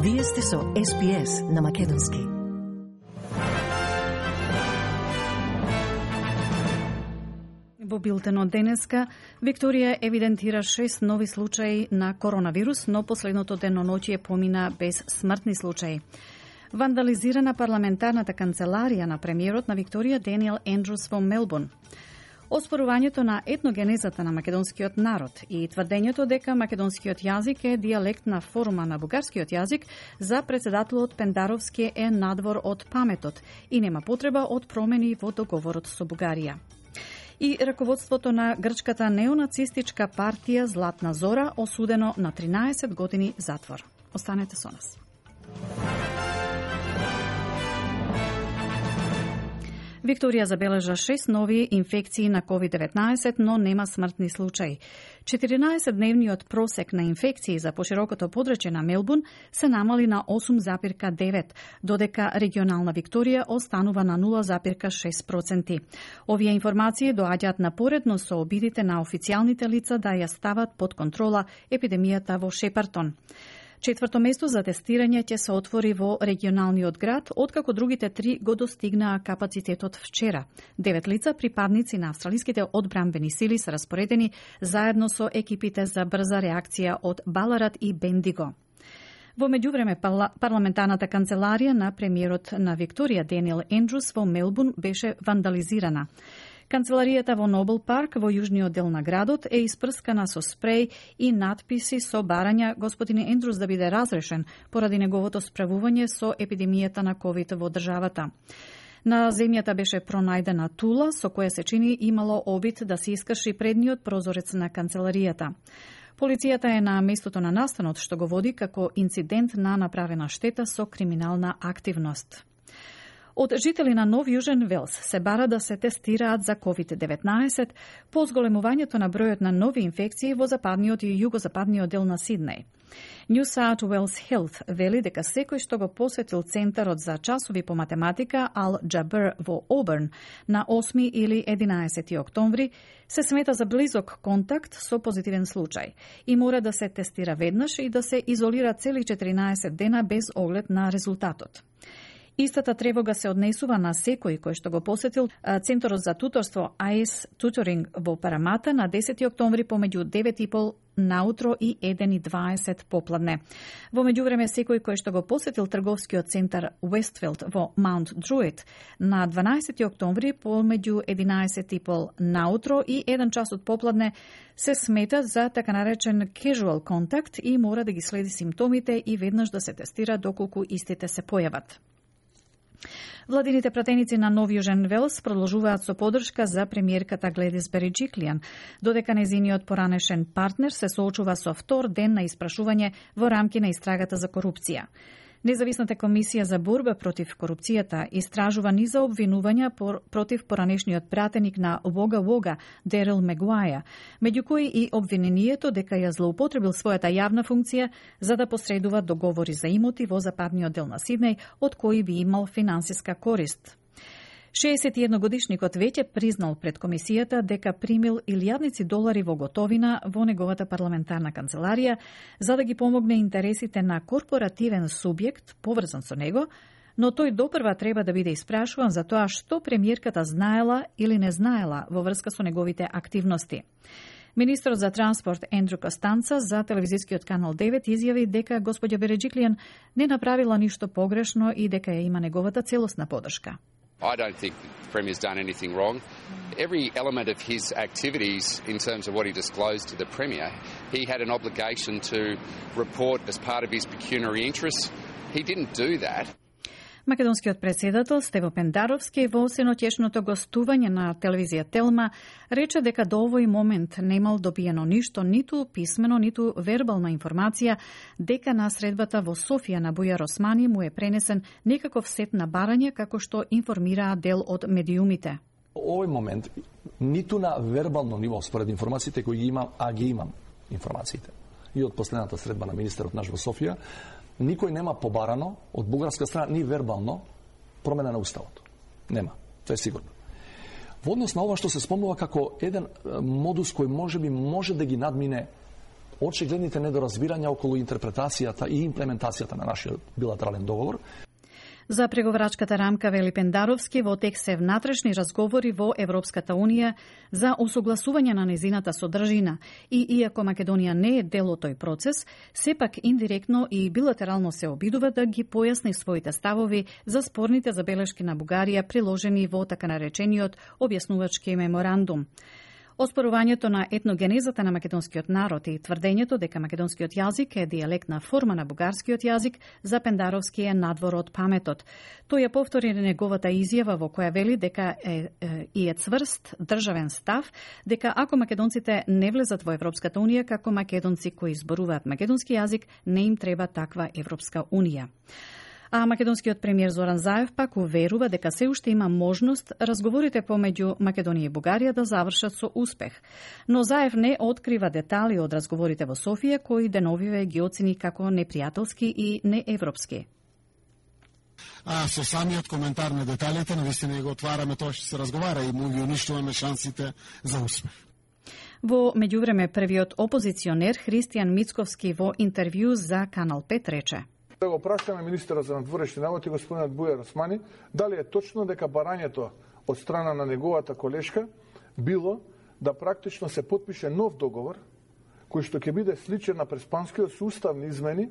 Вие сте со SPS на Македонски. Во билтенот денеска, Викторија евидентира 6 нови случаи на коронавирус, но последното деноноќие помина без смртни случаи. Вандализирана парламентарната канцеларија на премиерот на Викторија Даниел Ендрус во Мелбурн. Оспорувањето на етногенезата на македонскиот народ и тврдењето дека македонскиот јазик е дијалектна форма на бугарскиот јазик за председателот Пендаровски е надвор од паметот и нема потреба од промени во договорот со Бугарија. И раководството на грчката неонацистичка партија Златна Зора осудено на 13 години затвор. Останете со нас. Викторија забележа 6 нови инфекции на COVID-19, но нема смртни случаи. 14-дневниот просек на инфекции за поширокото подрачје на Мелбурн се намали на 8,9, додека регионална Викторија останува на 0,6%. Овие информации доаѓаат напоредно со обидите на официјалните лица да ја стават под контрола епидемијата во Шепартон. Четврто место за тестирање ќе се отвори во регионалниот град, откако другите 3 го достигнаа капацитетот вчера. 9 лица, припадници на австралиските одбранбени сили, се распоредени заедно со екипите за брза реакција од Баларат и Бендиго. Во меѓувреме, парламентарната канцеларија на премиерот на Викторија Даниел Ендрус во Мелбурн беше вандализирана. Канцеларијата во Нобел парк во јужниот дел на градот е испрскана со спреј и надписи со барања господин Ендрус да биде разрешен поради неговото справување со епидемијата на COVID во државата. На земјата беше пронајдена тула со која се чини имало обид да се искрши предниот прозорец на канцеларијата. Полицијата е на местото на настанот, што го води како инцидент на направена штета со криминална активност. Од жители на Нов Јужен Велс се бара да се тестираат за COVID-19 по зголемувањето на бројот на нови инфекции во западниот и југозападниот дел на Сиднеј. New South Wales Health вели дека секој што го посетил Центарот за часови по математика Ал Джабер во Оберн на 8 или 11 октомври се смета за близок контакт со позитивен случај и мора да се тестира веднаш и да се изолира цели 14 дена без оглед на резултатот. Истата тревога се однесува на секој кој што го посетил Центарот за туторство AIS Tutoring во Парамата на 10 октомври помеѓу 9:30 наутро и 1:20 попладне. Во меѓувреме, секој кој што го посетил трговскиот центар Westfield во Маунт Друид на 12 октомври помеѓу 11:30 наутро и 1 час од попладне се смета за така наречен casual contact и мора да ги следи симптомите и веднаш да се тестира доколку истите се појават. Владините пратеници на Нов Јужен Велс продолжуваат со подршка за премиерката Гледис Береджиклијан, додека незиниот поранешен партнер се соочува со втор ден на испрашување во рамки на истрагата за корупција. Независната комисија за борба против корупцијата истражува низа обвинувања против поранешниот пратеник на Вога Вога, Дерел Мегуаја, меѓу кои и обвинението дека ја злоупотребил својата јавна функција за да посредува договори за имоти во западниот дел на Сиднеј, од кои би имал финансиска корист. 61-годишникот веќе признал пред комисијата дека примил илјадници долари во готовина во неговата парламентарна канцеларија за да ги помогне интересите на корпоративен субјект поврзан со него, но тој допрва треба да биде испрашуван за тоа што премиерката знаела или не знаела во врска со неговите активности. Министрот за транспорт Ендрю Костанца за телевизискиот канал 9 изјави дека господја Береджиклијан не направила ништо погрешно и дека ја има неговата целосна поддршка. I don't think the Premier's done anything wrong. Every element of his activities in terms of what he disclosed to the Premier, he had an obligation to report as part of his pecuniary interests. He didn't do that. Македонскиот председател Стево Пендаровски во сеноќешното гостување на телевизија Телма рече дека до овој момент немал добиено ништо, ниту писмено, ниту вербална информација дека на средбата во Софија на Бујар Османи му е пренесен некаков сет на барање како што информираа дел од медиумите. Овој момент ниту на вербално ниво според информациите кои ги имам, а ги имам информациите и од последната средба на министерот наш во Софија, никој нема побарано од бугарска страна ни вербално промена на уставот. Нема, тоа е сигурно. Во однос на ова што се спомнува како еден модус кој може да ги надмине очигледните недоразбирања околу интерпретацијата и имплементацијата на нашиот билатерален договор. За преговарачката рамка, вели Пендаровски, во тек се внатрешни разговори во Европската Унија за усогласување на незината содржина и иако Македонија не е дел од тој процес, сепак индиректно и билатерално се обидува да ги појасни своите ставови за спорните забелешки на Бугарија приложени во така наречениот објаснувачки меморандум. Оспорувањето на етногенезата на македонскиот народ и тврдењето дека македонскиот јазик е дијалектна форма на бугарскиот јазик за Пендаровски е надвор од паметот. Тој ја повтори неговата изјава во која вели дека е цврст државен став, дека ако македонците не влезат во Европската Унија како македонци кои зборуваат македонски јазик, не им треба таква Европска Унија. А македонскиот премиер Зоран Заев пак уверува дека се уште има можност разговорите помеѓу Македонија и Бугарија да завршат со успех. Но Заев не открива детали од разговорите во Софија, кои деновиве ги оцени како непријателски и неевропски. Со самиот коментар на деталите, навистина го отвараме тоа што се разговара и му ги уништуваме шансите за успех. Во меѓувреме, првиот опозиционер Христијан Мицковски во интервју за Канал 5 рече: Да го прашаме министера за надворешни работи господинот Бујар Османи дали е точно дека барањето од страна на неговата колешка било да практично се потпише нов договор кој што ќе биде сличен на преспанскиот со уставни измени,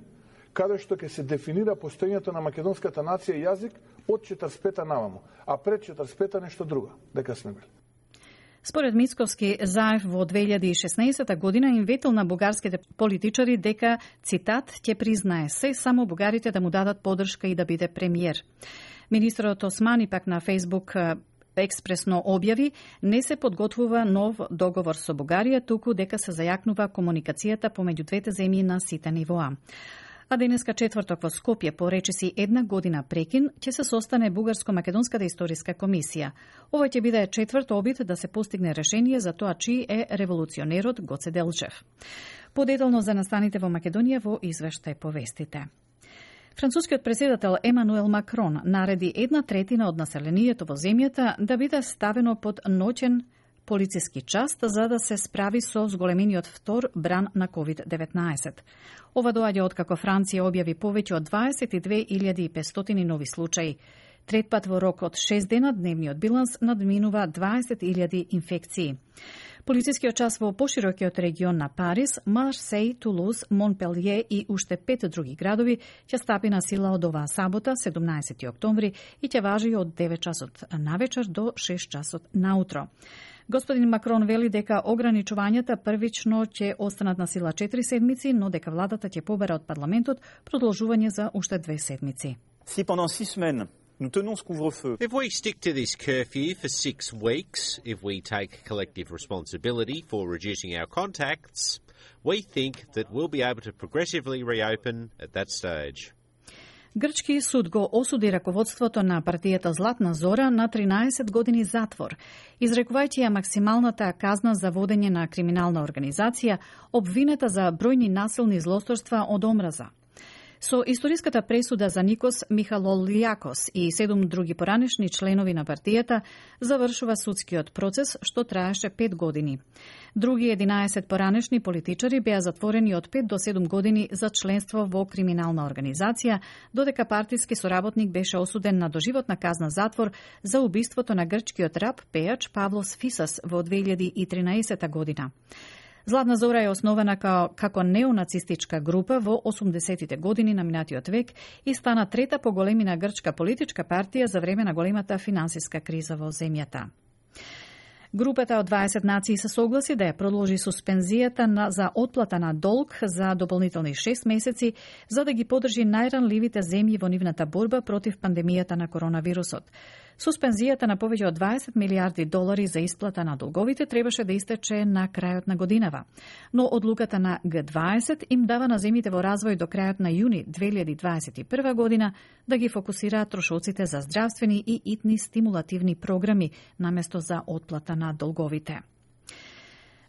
каде што ќе се дефинира постоењето на македонската нација и јазик од 45-та наваму, а пред 45-та нешто друго, дека сме били. Според Мицковски, Заев во 2016 година им ветил на бугарските политичари дека, цитат, ќе признае се само бугарите да му дадат поддршка и да биде премиер. Министерот Османи пак на Фейсбук експресно објави, не се подготвува нов договор со Бугарија, туку дека се зајакнува комуникацијата помеѓу двете земји на сите нивоа. А денеска четврток во Скопје, по речиси една година прекин, ќе се состане Бугарско-македонската историска комисија. Овој ќе биде четврт обид да се постигне решение за тоа чиј е револуционерот Гоце Делчев. Подетално за настаните во Македонија во извештај повестите. Францускиот претседател Емануел Макрон нареди 1/3 од населението во земјата да биде ставено под ноќен полициски час за да се справи со зголемениот втор бран на COVID-19. Ова доаѓа откако Франција објави повеќе од 22.500 нови случаи. Трет пат во рок од 6 дена дневниот биланс надминува 20.000 инфекции. Полицискиот час во поширокиот регион на Париз, Марсеј, Тулуз, Монпелје и уште 5 други градови ќе стапи на сила од оваа сабота, 17 октомври, и ќе важи од 9 часот навечер до 6 часот наутро. Господин Макрон вели дека ограничувањата првично ќе останат на сила 4 седмици, но дека владата ќе побера од парламентот продолжување за уште 2 седмици. Si pendant 6 semaines nous tenons ce couvre-feu. If we stick to this curfew for 6 weeks, if we take collective responsibility for reducing our contacts, we think that we'll be able to progressively reopen at that stage. Грчки суд го осуди раководството на партијата Златна Зора на 13 години затвор, изрекувајќи ја максималната казна за водење на криминална организација, обвинета за бројни насилни злосторства од омраза. Со историската пресуда за Никос Михалолијакос и 7 други поранешни членови на партијата завршува судскиот процес, што траеше 5 години. Други 11 поранешни политичари беа затворени од 5 до 7 години за членство во криминална организација, додека партиски соработник беше осуден на доживотна казна затвор за убиството на грчкиот рап пејач Павлос Фисас во 2013 година. Златна Зора е основана како неонацистичка група во 80-тите години на минатиот век и стана трета по големина грчка политичка партија за време на големата финансиска криза во земјата. Групата од 20 нации се согласи да ја продолжи суспензијата за отплата на долг за дополнителни 6 месеци за да ги поддржи најранливите земји во нивната борба против пандемијата на коронавирусот. Суспензијата на повеќе од 20 милиарди долари за исплата на долговите требаше да истече на крајот на годинава. Но одлуката на Г20 им дава на земјите во развој до крајот на јуни 2021 година да ги фокусираат трошоците за здравствени и итни стимулативни програми наместо за отплата на долговите.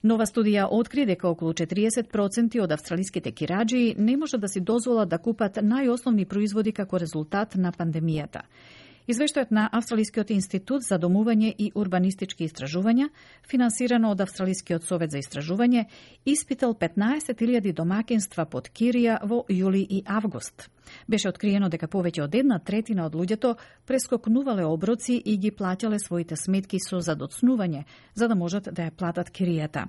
Нова студија откри дека околу 40% од австралиските кираџи не можат да си дозволат да купат најосновни производи како резултат на пандемијата. Извештајот на Австралискиот институт за домување и урбанистички истражувања, финансирано од Австралискиот совет за истражување, испитал 15.000 домакинства под кирија во јули и август. Беше откриено дека повеќе од 1/3 од луѓето прескокнувале оброци и ги плаќале своите сметки со задоцнување, за да можат да ја платат киријата.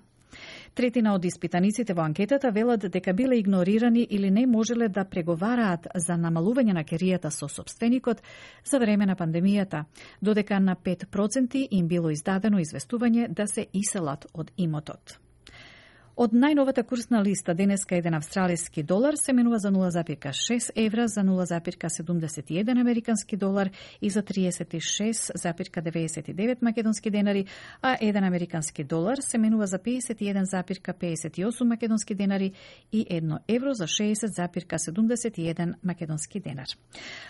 1/3 од испитаниците во анкетата велат дека биле игнорирани или не можеле да преговараат за намалување на киријата со сопственикот за време на пандемијата, додека на 5% им било издадено известување да се иселат од имотот. Од најновата курсна листа денеска еден австралиски долар се менува за 0,6 евра, за 0,71 американски долар и за 36,99 македонски денари, а еден американски долар се менува за 51,58 македонски денари и 1 евро за 60,71 македонски денар.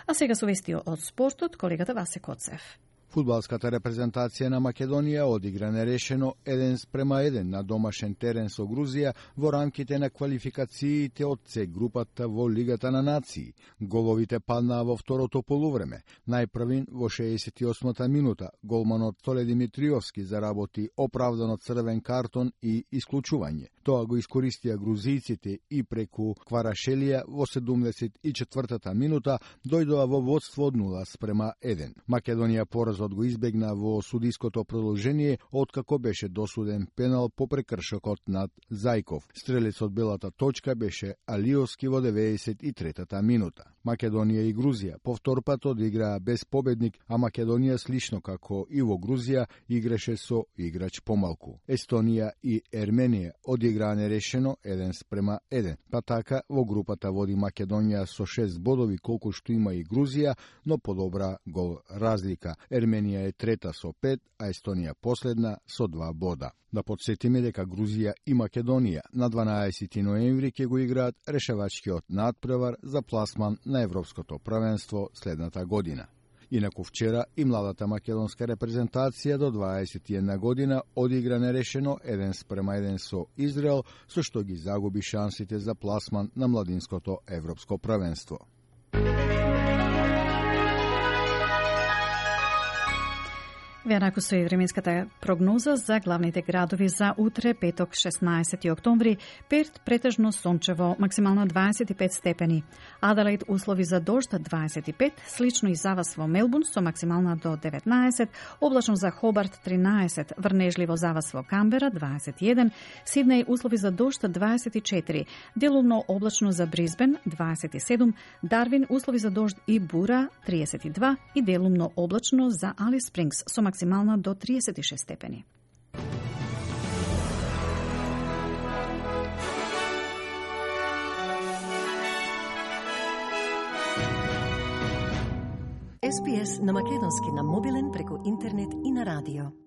А сега со вести од спортот, колегата Васе Коцев. Фудбалската репрезентација на Македонија одигра нерешено 1:1 на домашен терен со Грузија во рамките на квалификациите од С групата во Лигата на нации. Головите паднаа во второто полувреме. Најпрвин во 68-та минута голманот Толе Димитриовски заработи оправдано црвен картон и исклучување. Тоа го искористија грузијците и преку Кварашелија во 74-та минута дојдоа во водство од 0:1. Македонија поразот го избегна во судиското продолжение, откако беше досуден пенал по прекршокот над Зајков. Стрелецот белата точка беше Алиовски во 93-та минута. Македонија и Грузија повтор пат одиграа без победник, а Македонија слично како и во Грузија играше со играч помалку. Естонија и Ерменија одиграа нерешено 1:1, па така во групата води Македонија со 6 бодови колку што има и Грузија, но подобра гол разлика. Ерменија е трета со 5, а Естонија последна со 2 бода. Да подсетиме дека Грузија и Македонија на 12 ноември ќе го играат решавачкиот надпревар за пласман на Европското првенство следната година. Инаку вчера и младата македонска репрезентација до 21 година одигра нерешено 1:1 со Израел, со што ги загуби шансите за пласман на младинското Европско првенство. Веанаку со временската прогноза за главните градови за утре, петок, 16 октомври. Перт претежно сончево, максимално 25 степени. Аделаид услови за дожд 25, слично и за вас во Мелбун со максимална до 19, облачно за Хобарт 13, врнежливо за вас во Камбера 21, Сиднеј услови за дожд 24, делумно облачно за Брисбен 27, Дарвин услови за дожд и бура 32 и делумно облачно за Алис Спрингс со максимална до 36 степени. SPS на македонски на мобилен преку интернет и на радио.